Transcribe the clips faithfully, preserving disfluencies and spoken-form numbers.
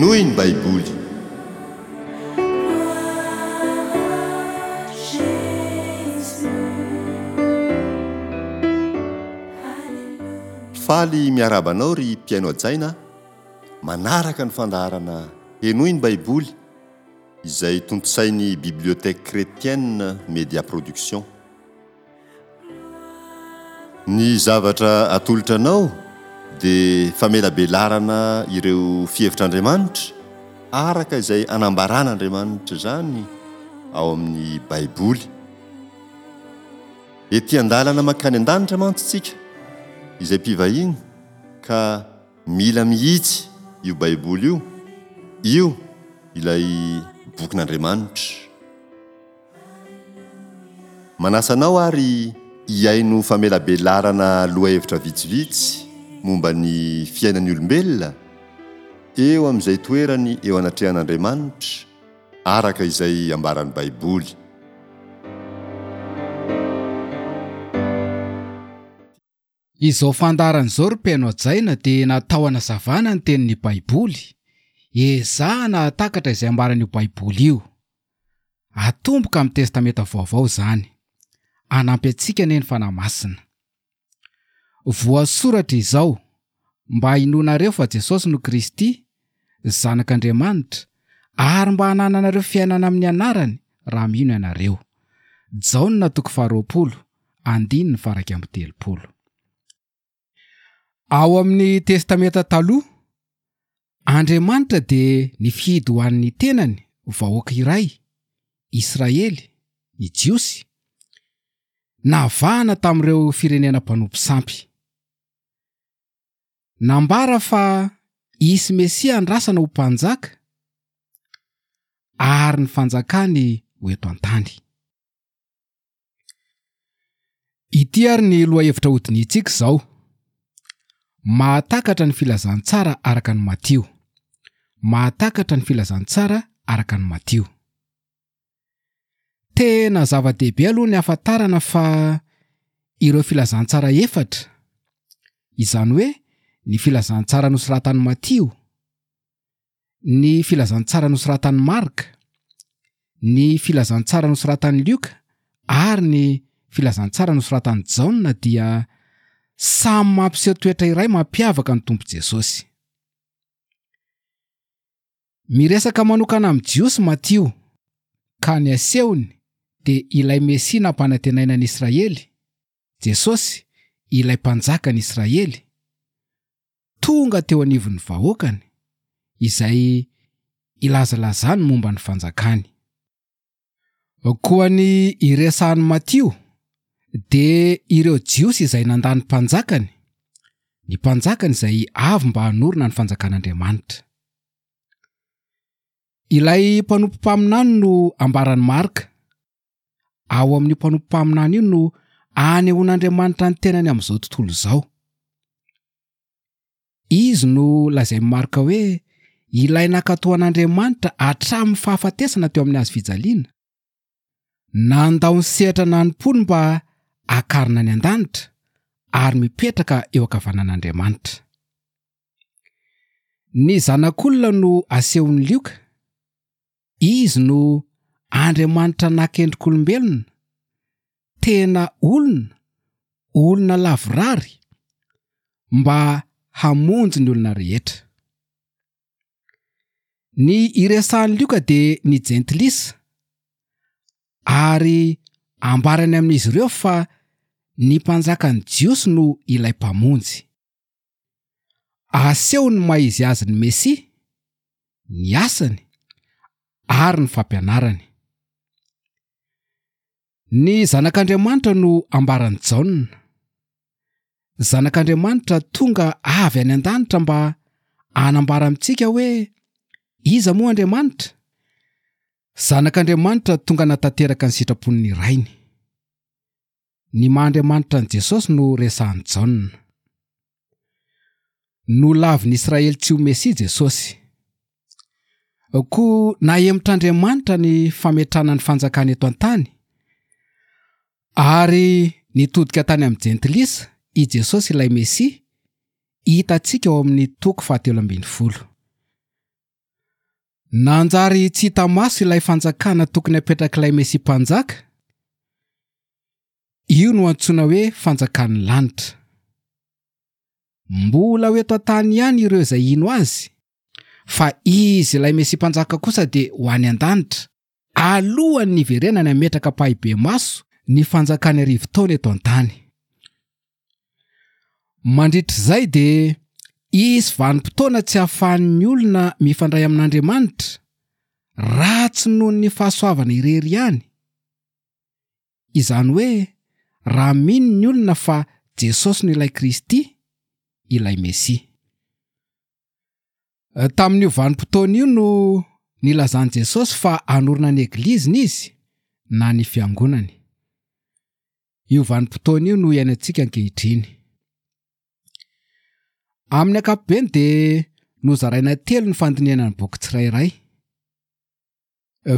Henoy ny Baiboly. Faly miarahaba anao ry mpihaino hajaina manaraka ny fandaharana Henoy ny Baiboly izay tontosain'ny Bibliothèque Chrétienne Media Production. Ny zavatra atolotra anao dia famelabelarana ireo fihevitr'Andriamanitra araka izay anambaran'Andriamanitra izany ao amin'ny Baiboly. Ety an-dalana mankany an-danitra mantsy isika izay mpivahiny ka mila mihitsy io Baiboly io, io ilay bokin'Andriamanitra. Manasa anao ary hihaino famelabelarana lohahevitra vitsivitsy momba ny fiainan'ny olombelona eo amin'izay toerany eo anatrehan'Andriamanitra araka izay ambaran'ny Baiboly. Izao fandaharana izao ry mpihaino hajaina dia natao hanazavana ny tenin'ny Baiboly, ezahana hahatakatra izay ambaran'io Baiboly io. Atomboka amin'ny Testamenta Vaovao izany. Hanampy antsika anie ny Fanahy Masina. Voasoratra izao, mba hinoanareo fa Jesosy no Kristy, Zanak'Andriamanitra, ary mba hanananareo fiainana amin'ny anarany raha mino ianareo. Jaona toko faharoapolo, andininy faha-iraika amby telopolo. Ao amin'ny Testamenta Taloha, Andriamanitra dia nifidy ho an'ny tenany vahoaka iray, Israely, ny Jiosy, navahana tamin'ireo firenena mpanompo sampy. Nambara fa hisy Mesia andrasana ho mpanjaka ary ny fanjakany ho eto an-tany. Ity ary ny lohahevitra hodinihintsika izao. Mahatakatra ny filazantsara araka ny Matio. Mahatakatra ny filazantsara araka ny Matio. Tena zava-dehibe aloha ny hahafantarana fa ireo filazantsara efatra, izany hoe ny filazantsara nosoratan'i Matio, ny filazantsara nosoratan'i Marka, ny filazantsara nosoratan'i Lioka ary ny filazantsara nosoratan'i Jaona dia samy mampiseho toetra iray mampiavaka ny Tompo Jesosy. Miresaka manokana amin'ny Jiosy Matio, ka ny asehony dia ilay Mesia nampanantenaina an'i Israely, Jesosy, ilay mpanjakan'i Israely, tonga teo anivon'ny vahoakany, izay ilazalazany momba ny fanjakany. Koa ny iresahan'i Matio dia ireo Jiosy izay nandà ny mpanjakany, ny mpanjakany izay avy mba hanorina ny fanjakan'Andriamanitra. Ilay mpanompo mpaminany no ambaran'i Marka. Ao amin'io mpanompo mpaminany io no anehoan'Andriamanitra ny tenany amin'izao tontolo izao. Izy no lazain'i Marka hoe ilay nankatò an'Andriamanitra hatramin'ny fahafatesana teo amin'ny hazo fijaliana. Nandao ny sehatra nanompoany mba hakarina any an-danitra ary mipetraka eo ankavanan'Andriamanitra. Ny zanak'olona no asehon'i Lioka. Izy no Andriamanitra naka endrik'olombelona, tena olona, olona lavorary, mba hamonjy ny olona rehetra. Ny iresahan'i Lioka dia ny jentilisa, ary ambarany amin'izy ireo fa ny mpanjakan'ny Jiosy no ilay mpamonjy. Aseho ny maha izy azy ny Mesia, ny asany ary ny fampianarany. Ny Zanak'Andriamanitra no ambaran'i Jaona. Zanak'Andriamanitra tonga avy any an-danitra mba hanambara amintsika hoe iza moa Andriamanitra? Zanak'Andriamanitra tonga natanteraka ny sitrapon'ny Rainy. Ny maha Andriamanitra an'i Jesosy no resahan'i Jaona. Nolavin'i Israely tsy ho Mesia Jesosy. Koa nahemotr'Andriamanitra ny fametrahana ny fanjakany eto an-tany, ary nitodika tany amin'ny jentilisa i Jesosy ilay Mesia, hitantsika ao amin'ny toko fahatelo ambin'ny folo. Nanjary tsy hita maso ilay fanjakana tokony hapetrak'ilay Mesia mpanjaka. Io no antsoina hoe fanjakan'ny lanitra. Mbola ho eto an-tany ihany ireo izay hino azy, fa izy ilay Mesia mpanjaka kosa dia ho any an-danitra, alohan'ny hiverenany hametraka ampahibemaso ny fanjakany arivo taona eto an-tany. Mandritra izay dia hisy vanim-potoana tsy ahafahan'ny olona mifandray amin'Andriamanitra raha tsy noho ny fahasoavana irery ihany. Izany hoe raha mino ny olona fa Jesosy no ilay Kristy, ilay Mesia. Tamin'io vanim-potoana io no nilazan'i Jesosy fa hanorina ny egliziny izy na ny fiangonany. Io vanim-potoana io no iainantsika ankehitriny. Amin'ny ankapobeny dia nozaraina telo ny fandinihana ny boky tsirairay.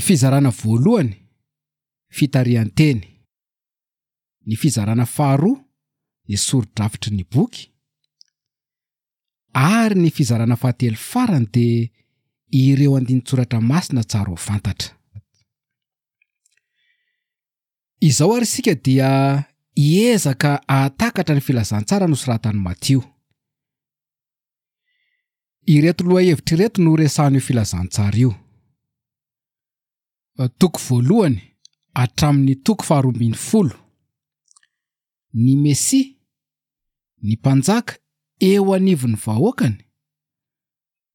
Fizarana voalohany, fitarihan-teny. Ny fizarana faharoa, ny sori-drafitry ny boky. Ary ny fizarana fahatelo farany dia ireo andinin-tsoratra masina tsara ho fantatra. Izao ary isika dia hiezaka hahatakatra ny filazantsara nosoratan'i Matio. Ireto lohahevitra ireto no resahan'io filazantsara io. Toko voalohany hatramin'ny toko faharoa ambin'ny folo. Ny Mesia, ny mpanjaka eo anivon'ny vahoakany,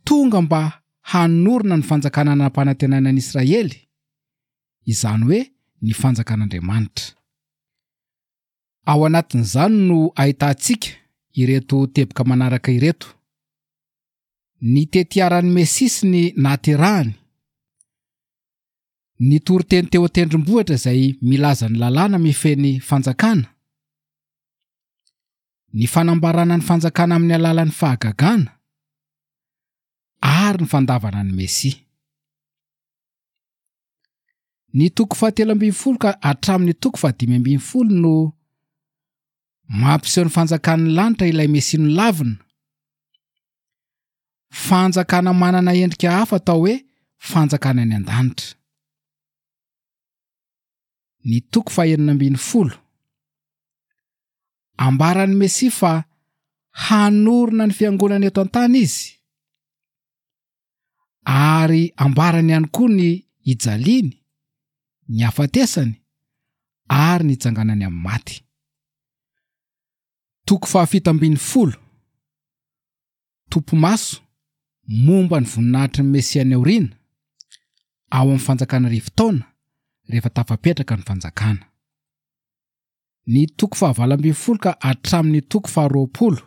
tonga mba hanorina ny fanjakana nampanantenaina an'i Israely, izany hoe ny fanjakan'Andriamanitra. Ao anatin'izany no ahitantsika ireto teboka manaraka ireto. Ny tetiaran'ny Mesia sy ny nahaterahany, ny toriteny teo an-tendrombohitra izay milaza ny lalàna mifehy ny fanjakana, ny fanambarana ny fanjakana amin'ny alalan'ny fahagagana, ary ny fandavana ny Mesia. Ny toko fahatelo ambin'ny folo ka hatramin'ny toko fahadimy ambin'ny folo no mampiseho ny fanjakan'ny lanitra ilay Mesia nolavina. Fanjakana manana endrika hafa atao hoe fanjakana any an-danitra. Ny toko fahenina ambin'ny folo. Ambaran'ny Mesia fa hanorina ny fiangonana eto an-tany izy, ary ambarany ihany koa ny hijaliany, ny hafatesany ary ny hitsanganany amin'ny maty. Toko fahafito ambin'ny folo. Tompomaso momba ny voninahitry ny Mesia any aoriana, ao amin'ny fanjakana arivo taona rehefa tafapetraka ny fanjakana. Ny toko fahavalo ambin'ny folo ka hatramin'ny toko faharoapolo,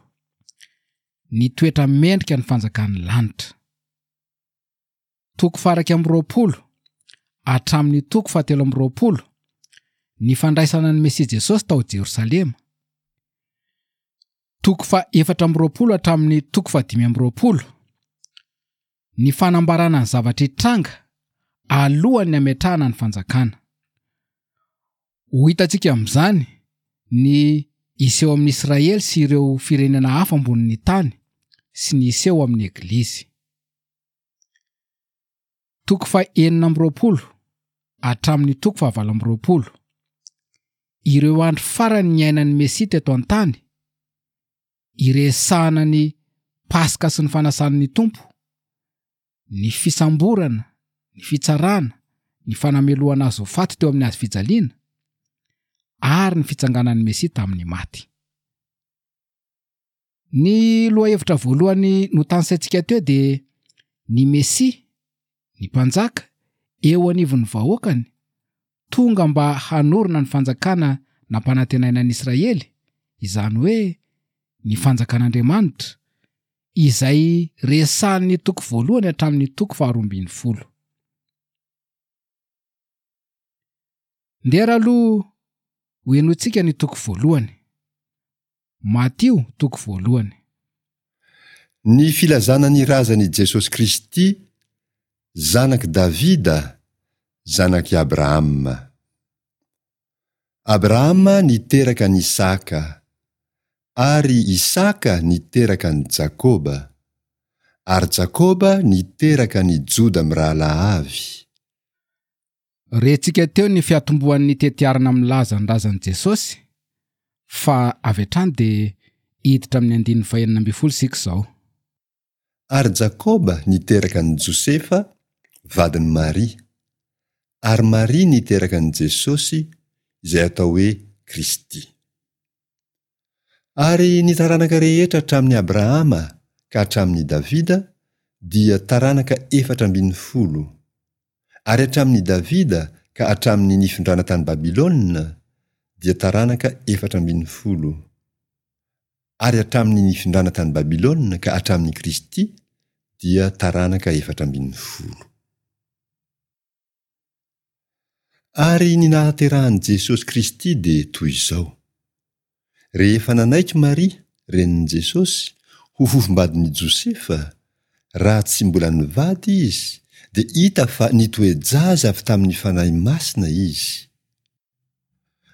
ny toetra mendrika ny fanjakan'ny lanitra. Toko faha-iraika amby roapolo hatramin'ny toko fahatelo amby roapolo, ny fandraisana ny Mesia Jesosy tao Jerosalema. Toko faha-efatra amby roapolo hatramin'ny toko fahadimy amby roapolo, ny fanambarana ny zavatra hitranga alohan'ny hametrahana ny fanjakana. Ho hitantsika amin'izany ny hiseho amin'ny Israely sy ireo firenena hafa ambonin'ny tany sy ny hiseho amin'ny Eglizy. Toko faha-enina amby roapolo hatramin'ny toko fahavalo amby roapolo. Ireo andro farany niainan'ny Mesia teto an-tany, iresahana ny Paska sy ny fanasan'ny Tompo, ny fisamborana, ny fitsarana, ny fanamelohana azy ho faty teo amin'ny hazo fijaliana, ary ny fitsanganan'ny Mesia tamin'ny maty. Ny lohahevitra voalohany notanisaintsika teo dia ny Mesia, ny mpanjaka, eo anivon'ny vahoakany, tonga mba hanorina ny fanjakana nampanantenaina an'i Israely, izany hoe ny fanjakan'Andriamanitra, izay resahan'ny toko voalohany hatramin'ny toko faharoa ambin'ny folo. Ndeha aloha ho henointsika ny toko voalohany. Matio toko voalohany. Ny filazana ny razan'i Jesosy Kristy, zanak'i Davida, zanak'i Abrahama. Abrahama niteraka an'i Isaka, ary Isaka niteraka an'i Jakoba, Ary Jakoba niteraka an'i Joda mirahalahy avy. Rentsika teo ny fiatombohan'ny tetiarana milaza ny razan'i Jesosy, fa avy hatrany dia hiditra amin'ny andininy fahenina ambin'ny folo isika izao. Ary Jakoba niteraka an'i Josefa, vadin'i Maria. Ary Maria niteraka an'i Jesosy, izay atao hoe Kristy. Ary ny taranaka rehetra hatramin'i Abrahama ka hatramin'i Davida dia taranaka efatra ambin'ny folo. Ary hatramin'i Davida ka hatramin'ny nifindrana tany Babylona dia taranaka efatra ambin'ny folo. Ary hatramin'ny nifindrana tany Babylona ka hatramin'i Kristy dia taranaka efatra ambin'ny folo. Ary ny nahaterahan'i Jesosy Kristy dia toy izao. Rehefa nanaiky Maria, renin'i Jesosy, ho fofombadin'i Josefa, raha tsy mbola nivady izy, dia hita fa nitoe-jaza avy tamin'ny Fanahy Masina izy.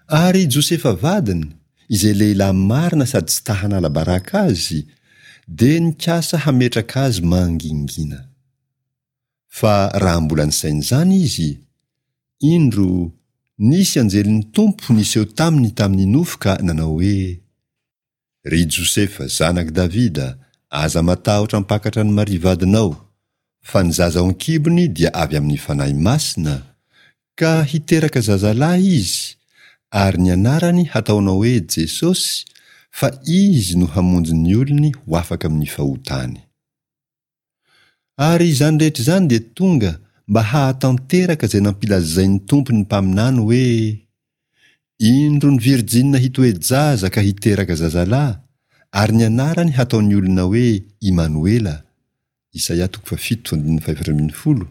Ary Josefa vadiny, izay lehilahy marina sady tsy ta hanala baraka azy, dia nikasa hametraka azy mangingina. Fa raha mbola nisaina izany izy, indro, nisy anjelin'ny Tompo niseho taminy tamin'ny nofy ka nanao hoe, Ry Josefa, zanak'i Davida, aza matahotra hampakatra an'i Maria vadinao, fa ny zaza ao an-kibony dia avy amin'ny Fanahy Masina, ka hiteraka zazalahy izy, ary ny anarany hataonao hoe Jesosy, fa izy no hamonjy ny olony ho afaka amin'ny fahotany. Ary izany rehetra izany dia tonga mba hahatanteraka izay nampilazain'ny Tompo ny mpaminany hoe, Indro ny virjina hitoe-jaza ka hiteraka zazalahy, ary ny anarany hataon'ny olona hoe Imanoela, Isaia toko fahafito andininy fahefatra ambin'ny folo,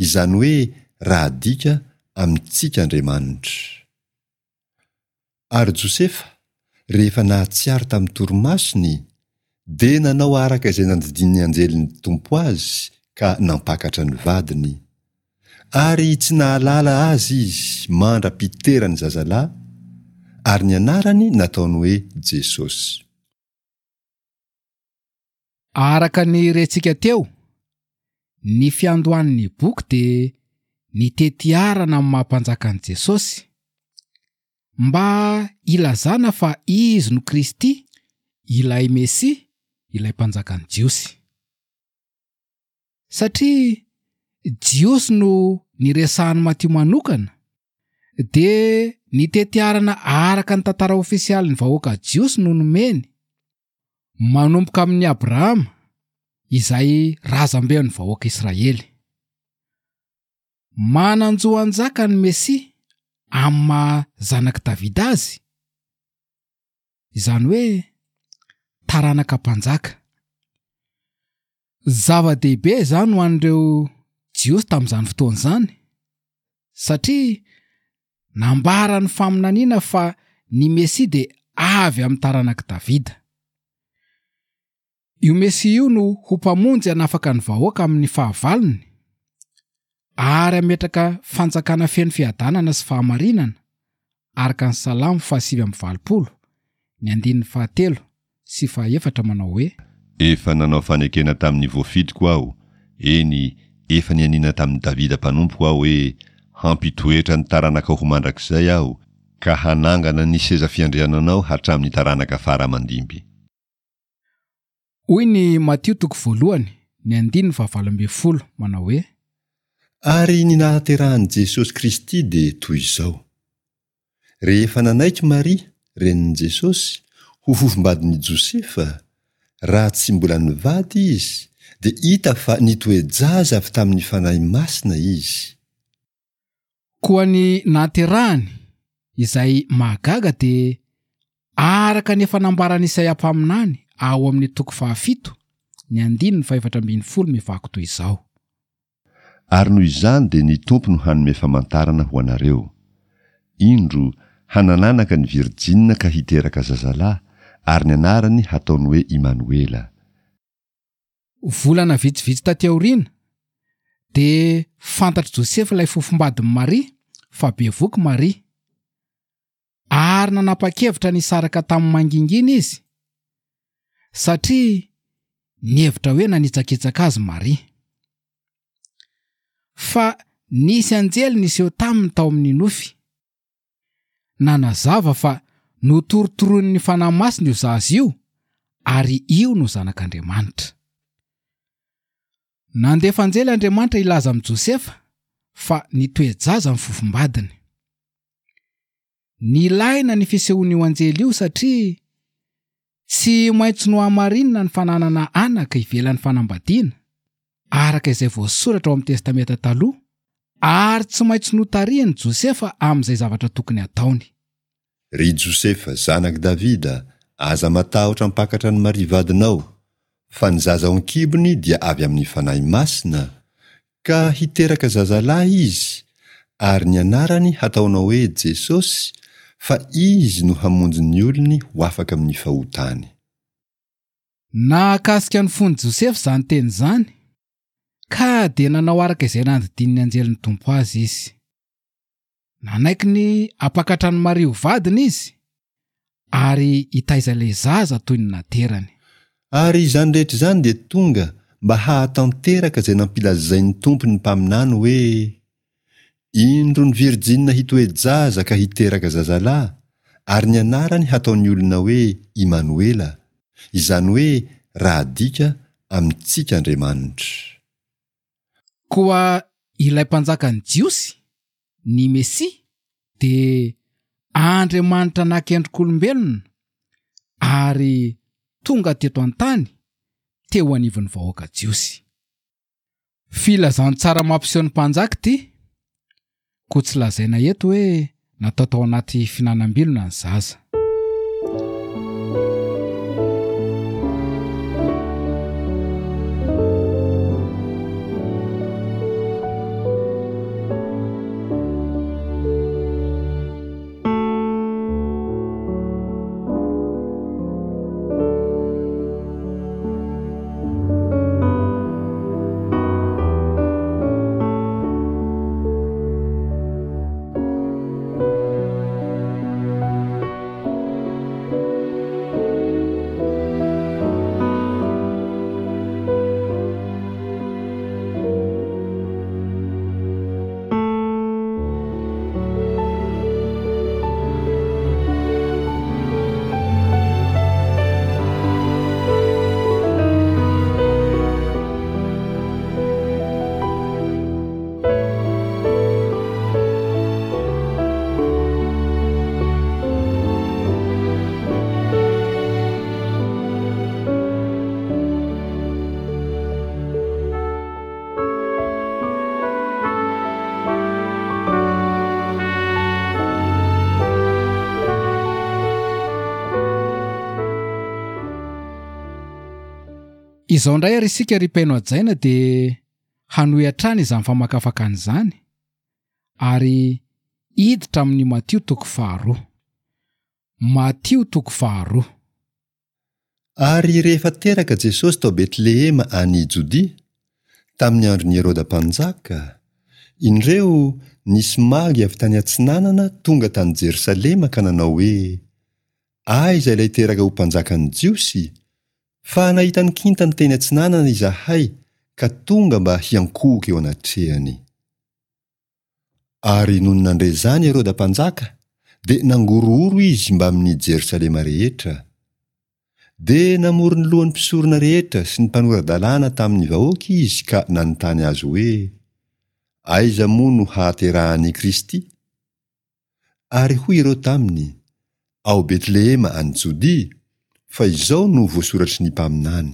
izany hoe raha adika, amintsika Andriamanitra. Ary Josefa, rehefa nahatsiaro tamin'ny torimasony, dia nanao araka izay nandidian'ny anjelin'ny Tompo azy ka nampakatra ny vadiny. Ary tsy nahalala azy izy mandra-piterany zazalahy, ary ny anarany nataony hoe Jesosy. Araka ny rentsika teo, ny fiandohan'ny boky dia ny tetiarana amin'ny maha-mpanjaka an'i Jesosy, mba hilazana fa izy no Kristy, ilay Mesia, ilay mpanjakan'ny Jiosy. Satria Jiosy no niresahan'i Matio manokana, dia ny tetiarana araka ny tantara ofisialin'ny vahoaka Jiosy no nomeny, manomboka amin'i Abrahama, izay razamben'ny vahoaka Israely. Manan-jo hanjaka ny Mesia amin'ny maha zanak'i Davida azy, izany hoe taranaka mpanjaka. Zava-dehibe izany ho an'ireo Jiosy tamin'izany fotoana izany, satria nambaran'ny faminaniana fa ny Mesia dia avy amin'ny taranak'i Davida. Io Mesia io no ho mpamonjy hanafaka ny vahoaka amin'ny fahavalony, ary hametraka fanjakana feno fiadanana sy fahamarinana, araka ny Salamo fahasivy amby valopolo, ny andininy fahatelo sy fahaefatra manao hoe: Efa nanao fanekena tamin'ny voafidiko aho, eny, efa nianiana tamin'i Davida mpanompoko aho hoe, Hampitoetra ny taranakao ho mandrakizay aho, ka hanangana ny seza fiandriananao hatramin'ny taranaka fara aman-dimby. Hoy ny Matio toko voalohany, ny andininy fahavalo ambin'ny folo manao hoe: Ary ny nahaterahan'i Jesosy Kristy dia toy izao. Rehefa nanaiky Maria, renin'i Jesosy, ho fofombadin'i Josefa, raha tsy mbola nivady izy, dia hita fa nitoe-jaza avy tamin'ny Fanahy Masina izy. Koa ny nahaterahany, izay mahagaga, dia araka ny efa nambaran'i Isaia mpaminany ao amin'ny toko fahafito, ny andininy fahefatra ambin'ny folo mivaky toy izao. Ary noho izany dia ny Tompo no hanome famantarana ho anareo. Indro, hanananaka ny virjina ka hiteraka zazalahy, ary ny anarany hataony hoe Imanoela. Volana vitsivitsy taty aoriana, dia fantatr'i Josefa ilay fofombadin'i Maria fa bevoky Maria. Ary nanapa-kevitra ny hisaraka tamin'ny mangingina izy, satria Nihevitra hoe nanitsakitsaka azy Maria. Fa nisy anjely niseho taminy tao amin'ny nofy. Nanazava fa notorotoroin'ny Fanahy Masina io zaza io ary io no zanak'Andriamanitra. Nandefa anjely Andriamanitra hilaza amin'i Josefa fa nitoe-jaza ny fofombadiny. Nilaina ny fisehoan'io anjely io satria tsy maintsy nohamarinina ny fananana anaka ivelan'ny fanambadiana araka izay voasoratra ao amin'ny Testamenta Taloha ary tsy maintsy notarihin'i Josefa amin'izay zavatra tokony hataony. Ry Josefa, zanak'i Davida, aza matahotra hampakatra an'i Maria vadinao, fa ny zaza ao an-kibony dia avy amin'ny Fanahy Masina, ka hiteraka zazalahy izy, ary ny anarany hataonao hoe Jesosy, fa izy no hamonjy ny olony ho afaka amin'ny fahotany. Nahakasika ny fon'i Josefa izany teny izany, ka dia nanao araka izay nandidian'ny anjelin'ny Tompo azy izy. Nanaiky ny hampakatra an'i Maria ho vadiny izy, ary hitaiza ilay zaza toy ny naterany. Ary izany rehetra izany dia tonga mba hahatanteraka izay nampilazain'ny Tompo ny mpaminany hoe: Indro ny virjina hitoe-jaza ka hiteraka zazalahy, ary ny anarany hataon'ny olona hoe Imanoela, izany hoe raha adika, amintsika Andriamanitra. Koa ilay mpanjakan'ny Jiosy, ny Mesia, dia Andriamanitra nakendrik'olombelona ary tonga teto an-tany teo anivon'ny vahoaka Jiosy. Filazantsara mampiseho ny mpanjaka ity, koa tsy lazaina eto hoe natao tao anaty fihinanam-bilona ny zaza. Izao indray ary isika ry mpihaino hajaina dia hanohy hatrany izany famakafakana izany ary hiditra amin'ny Matio toko faharoa. Matio toko faharoa. Ary rehefa teraka Jesosy tao Betlehema any Jodia, tamin'ny andron'i Heroda mpanjaka, indreo nisy magy avy tany atsinanana tonga tany Jerosalema ka nanao hoe: Aiza ilay teraka ho mpanjakan'ny Jiosy? Fa nahita ny kintany teny atsinanana izahay ka tonga mba hiankohoka eo anatrehany. Ary nony nandre izany Heroda mpanjaka, dia nangorohoro izy mbamin'ny Jerosalema rehetra. Dia namory ny lohan'ny mpisorona rehetra sy ny mpanora-dalàna tamin'ny vahoaka izy ka nanontany azy hoe: Aiza moa no hahaterahan'i Kristy? Ary hoy ireo taminy: Ao Betlehema any Jodia, fa izao no voasoratry ny mpaminany.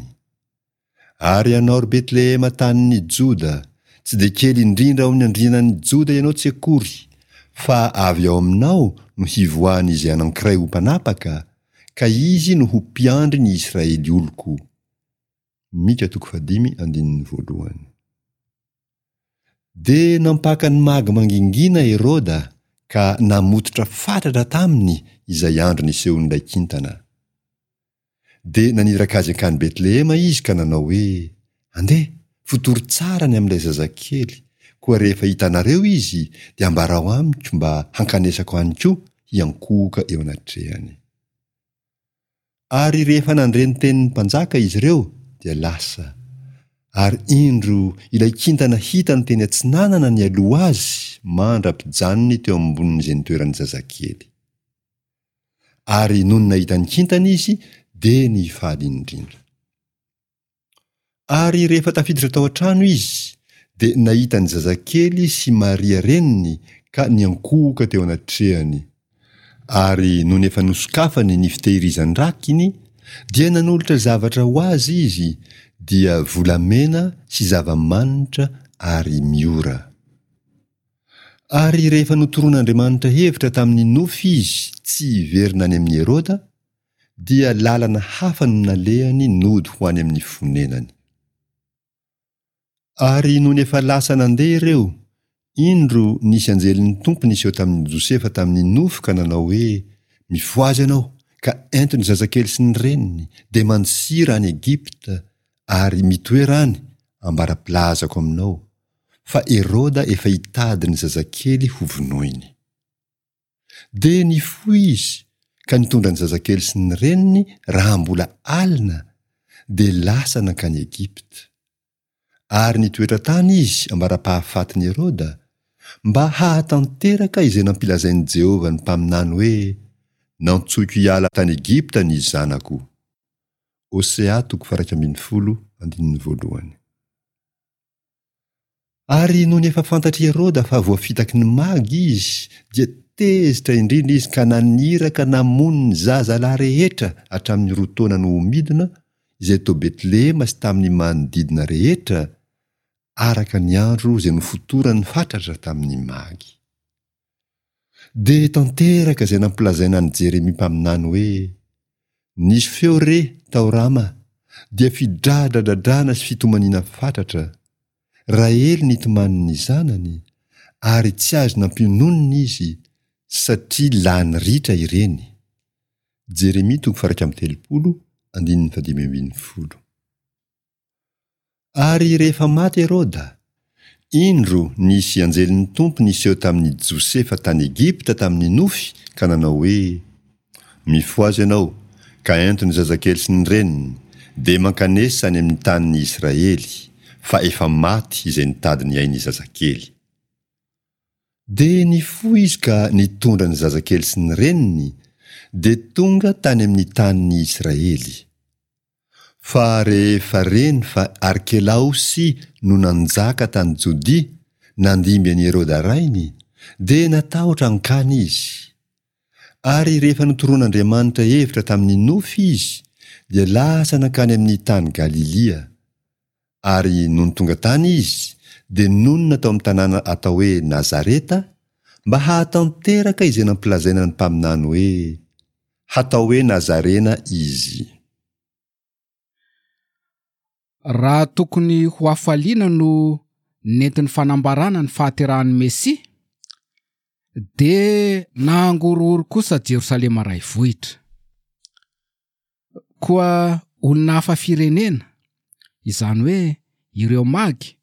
Ary ianao ry Betlehema tanin'ny Joda, tsy dia kely indrindra ao amin'ny andrianan'ny Joda ianao tsy akory, fa avy ao aminao no hivoahan'izay anankiray ho mpanapaka, ka izy no ho mpiandry ny Israely oloko. Mika toko fahadimy andininy voalohany. Dia nampaka ny magy mangingina Heroda ka namototra fatratra taminy izay andro nisehoan'ilay kintana. Dia naniraka azy hankany Betlehema izy ka nanao hoe: Andeha, fotory tsara ny amin'ilay zazakely, koa rehefa hitanareo izy dia ambarao amiko mba hankanesako any koa hiankohoka eo anatrehany. Ary rehefa nandre ny tenin'ny mpanjaka izy ireo dia lasa, ary indro ilay kintana hitany teny atsinanana nialoha azy mandra-pijanony teo ambonin'izay nitoeran'ny zazakely. Ary nony nahita ny kintana izy dia nifaly indrindra. Ary rehefa tafiditra tao an-trano izy, dia nahita ny zazakely sy Maria reniny ka niankohoka teo anatrehany. Ary nony efa nosokafany ny fitehirizan-drakiny, dia nanolotra zavatra ho azy izy, dia volamena sy zava-manitra ary miora. Ary rehefa notoroan'Andriamanitra hevitra tamin'ny nofy izy tsy hiverina any amin'i Heroda, dia lalana hafa no nalehany nody ho any amin'ny fonenany. Ary nony efa lasa nandeha ireo, indro nisy anjelin'ny Tompo niseho tamin'i Josefa tamin'ny nofy ka nanao hoe, Mifohaza ianao, ka ento ny zazakely sy ny reniny, dia mandosira any Egypta, ary mitoera any, ambara-pilazako aminao, fa Heroda efa hitady ny zazakely hovonoiny. Dia nifoha izy ka nitondra ny zazakely sy ny reniny raha mbola alina, dia lasa nankany Egypta. Ary nitoetra tany izy ambara-pahafatin'i Heroda, mba hahatanteraka izay nampilazain'i Jehovah ny mpaminany hoe, Nantsoiko hiala tany Egypta ny zanako. Hosea toko faha-iraika ambin'ny folo andininy voalohany. Ary nony efa fantatr'i Heroda fa voafitaky ny Magy izy, dia tezitra indrindra izy ka naniraka namono ny zazalahy rehetra hatramin'ny roa taona no ho midina, izay tao Betlehema sy tamin'ny manodidina rehetra, araka ny andro izay nofotorany fatratra tamin'ny Magy. Dia tanteraka izay nampilazaina an'i Jeremia mpaminany hoe, Nisy feo re tao Rama, dia fidradradradrana sy fitomaniana fatratra. Rahely nitomany ny zanany, ary tsy azo nampiononina izy, satria lany ritra ireny. Jeremia toko faha-iraika amby telopolo, andininy fahadimy ambin'ny folo. Ary rehefa maty Heroda, indro nisy anjelin'ny Tompo niseho tamin'i Josefa tany Egypta tamin'ny nofy ka nanao hoe, Mifohaza ianao, ka ento ny zazakely sy ny reniny, dia mankanesa any amin'ny tanin'ny Israely, fa efa maty izay nitady ny ain'ny zazakely. Dia nifoha izy ka nitondra ny zazakely sy ny reniny, dia tonga tany amin'ny tanin'ny Israely. Fa rehefa reny fa Arkelaosy no nanjaka tany Jodia nandimby an'i Heroda rainy, dia natahotra hankany izy. Ary rehefa notoroan'Andriamanitra hevitra tamin'ny nofy izy, dia lasa nankany amin'ny tany Galilia. Ary nony tonga tany izy, dia nonina tao amin'ny tanàna atao hoe Nazareta, mba hahatanteraka izay nampilazaina ny mpaminany hoe, Hatao hoe Nazarena izy. Raha tokony ho hafaliana no nentin'ny fanambarana ny fahaterahan'ny Mesia, dia nangorohoro kosa Jerosalema raivohitra. Koa olona hafa firenena, izany hoe ireo Magy,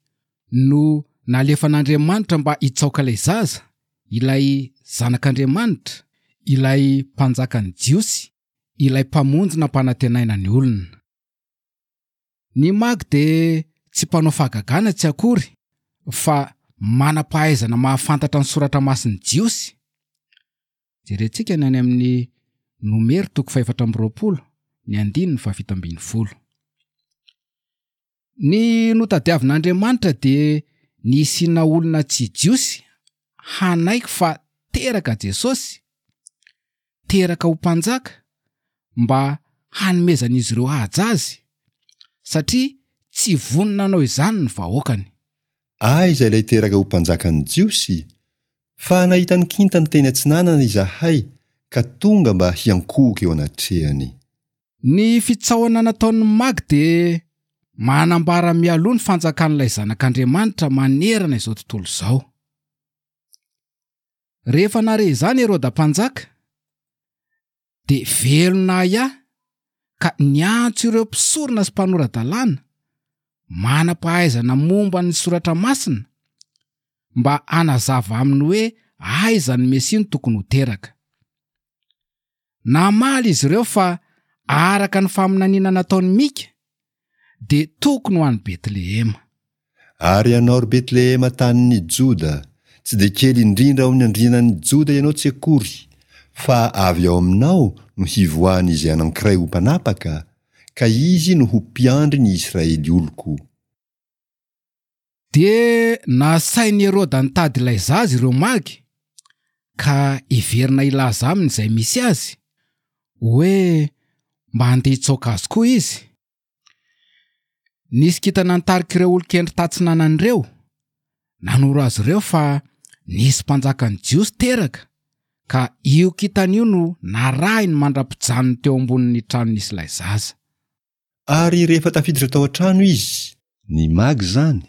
no nalefan'Andriamanitra mba hitsaoka ilay zaza, ilay Zanak'Andriamanitra, ilay Mpanjakan'ny Jiosy, ilay Mpamonjy nampanantenaina ny olona. Ny Magy dia tsy mpanao fahagagana tsy akory, fa manam-pahaizana mahafantatra ny soratra masin'ny Jiosy. Jerentsika ny any amin'ny Nomery toko fahefatra amby roapolo, ny andininy fahafito ambin'ny folo. Ny notadiavin'Andriamanitra dia ny hisiana olona tsy Jiosy hanaiky fa teraka Jesosy, teraka ho mpanjaka, mba hanomezan'izy ireo haja azy, satria tsy vonona hanao izany ny vahoakany. Aiza ilay teraka ho mpanjakan'ny Jiosy? Fa nahita ny kintany teny atsinanana izahay ka tonga mba hiankohoka eo anatrehany. Ny fitsaohana nataon'ny Magy dia manambara mialoha ny fanjakan'ilay Zanak'Andriamanitra manerana izao tontolo izao. Rehefa nare izany Heroda mpanjaka, dia velona ahiahy ka niantso ireo mpisorona sy mpanora-dalàna manam-pahaizana momba ny soratra masina mba hanazava aminy hoe aiza ny Mesia no tokony ho teraka. Namaly izy ireo fa araka ny faminaniana nataon'i Mika, dia tokony ho any Betlehema. Ary ianao ry Betlehema tanin'ny Joda, tsy dia kely indrindra ao amin'ny andrianan'ny Joda ianao tsy akory, fa avy ao aminao no hivoahan'izay anankiray ho mpanapaka, ka izy no ho mpiandry ny Israely oloko. Dia nasain'i Heroda nitady ilay zaza ireo magy, ka hiverina hilaza aminy izay misy azy, hoe mba handeha hitsaoka azy koa izy. Nisy kintana nitarika ireo olon-kendry tatsinanana ireo, nanoro azy ireo fa nisy mpanjakan'ny Jiosy teraka, ka io kintana io no narahiny mandra-pijanony teo ambonin'ny trano nisy ilay zaza. Ary rehefa tafiditra tao an-trano izy, ny magy izany,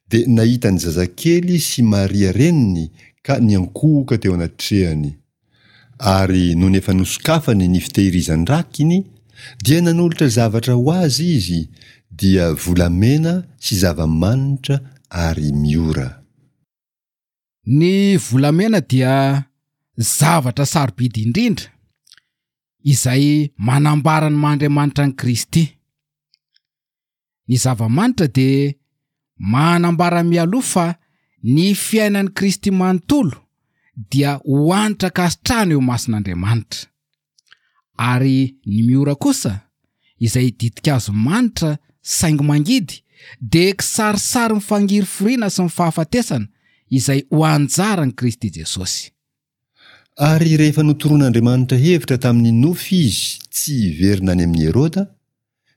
dia nahita ny zazakely sy Maria reniny ka niankohoka teo anatrehany. Ary nony efa nosokafany ny fitehirizan-drakiny, dia nanolotra zavatra ho azy izy, dia volamena sy zava-manitra ary miora. Ny volamena dia zavatra sarobidy indrindra izay manambara ny maha Andriamanitra an'i Kristy. Ny zava-manitra dia manambara mialoha fa ny fiainan'i Kristy manontolo dia ho hanitra ankasitrahana eo imason'Andriamanitra. Ary ny miora kosa, izay ditin-kazo manitra saingy mangidy, dia kisarisary ny fangirifiriana sy ny fahafatesana izay ho anjaran'i Kristy Jesosy. Ary rehefa notoroan'Andriamanitra hevitra tamin'ny nofy izy tsy hiverina any amin'i Heroda,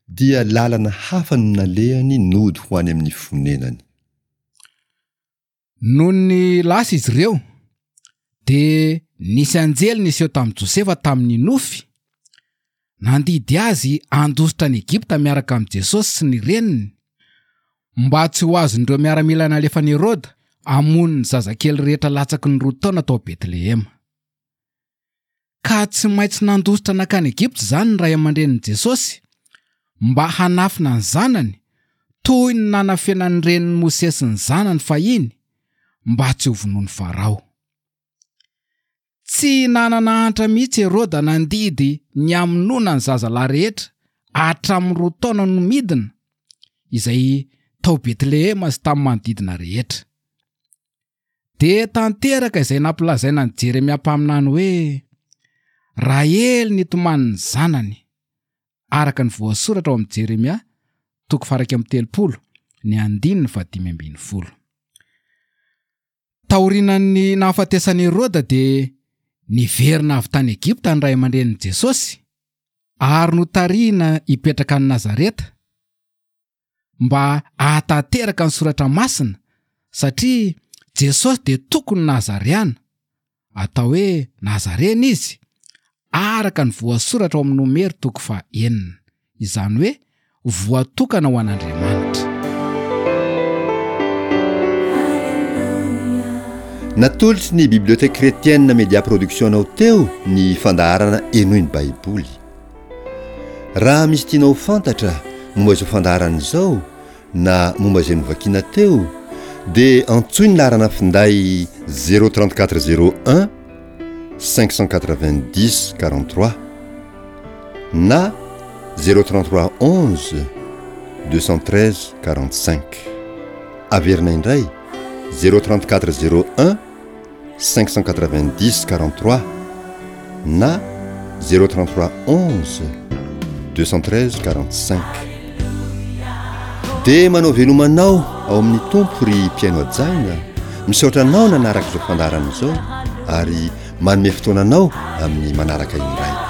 dia lalana hafa no nalehany nody ho any amin'ny fonenany. Nony lasa izy ireo, dia nisy anjely niseho tamin'i Josefa tamin'ny nofy, nandidy azy handositra any Egypta miaraka amin'i Jesosy sy ny reniny, mba tsy ho azon'ireo miaramila nalefan'i Heroda hamono ny zazakely rehetra latsaky ny roa taona tao Betlehema. Ka tsy maintsy nandositra nankany Egypta izany ny ray aman-drenin'i Jesosy mba hanafina ny zanany, toy ny nanafenan'ny renin'i Mosesy ny zanany fahiny mba tsy ho vonoin'i Farao. Tsy nanana antra mihitsy Heroda nandidy ny hamonoana ny zazalahy rehetra hatramin'ny roa taona no midina, izay tao Betlehema sy tamin'ny manodidina rehetra. Dia tanteraka izay nampilazaina an'i Jeremia mpaminany hoe Rahely nitomany ny zanany, araka ny voasoratra ao amin'i Jeremia toko faha iraika amby telopolo ny andininy fahadimy ambin'ny folo. Taorian'ny nahafatesan'i Heroda dia niverina avy tany Egypta ny ray aman-drenin'i Jesosy ary notarihina hipetraka any Nazareta mba hahatanteraka ny soratra masina, satria Jesosy dia tokony Nazareana, atao hoe Nazarena izy, araka ny voasoratra ao amin'ny Nomery toko faha-enina, izany hoe voatokana ho an'Andriamanitra. Natolotry ny Bibliothèque Chrétienne Media Production anao teo ny fandaharana Henoy ny Baiboly. Raha misy tianao ho fantatra momba izao fandaharana izao na momba izay novakiana teo, dia antsoy ny laharana finday zéro trente-quatre zéro un cinq cent quatre-vingt-dix quarante-trois na zéro trente-trois onze deux cent treize quarante-cinq. Averina indray zéro trente-quatre zéro un cinq cent quatre-vingt-dix quarante-trois na zéro trente-trois onze deux cent treize quarante-cinq. Dia manao veloma anao ao amin'ny Tompo ry mpihaino hajaina, misaotra anao nanaraka izao fandaharana izao ary manome fotoana anao amin'ny manaraka indray.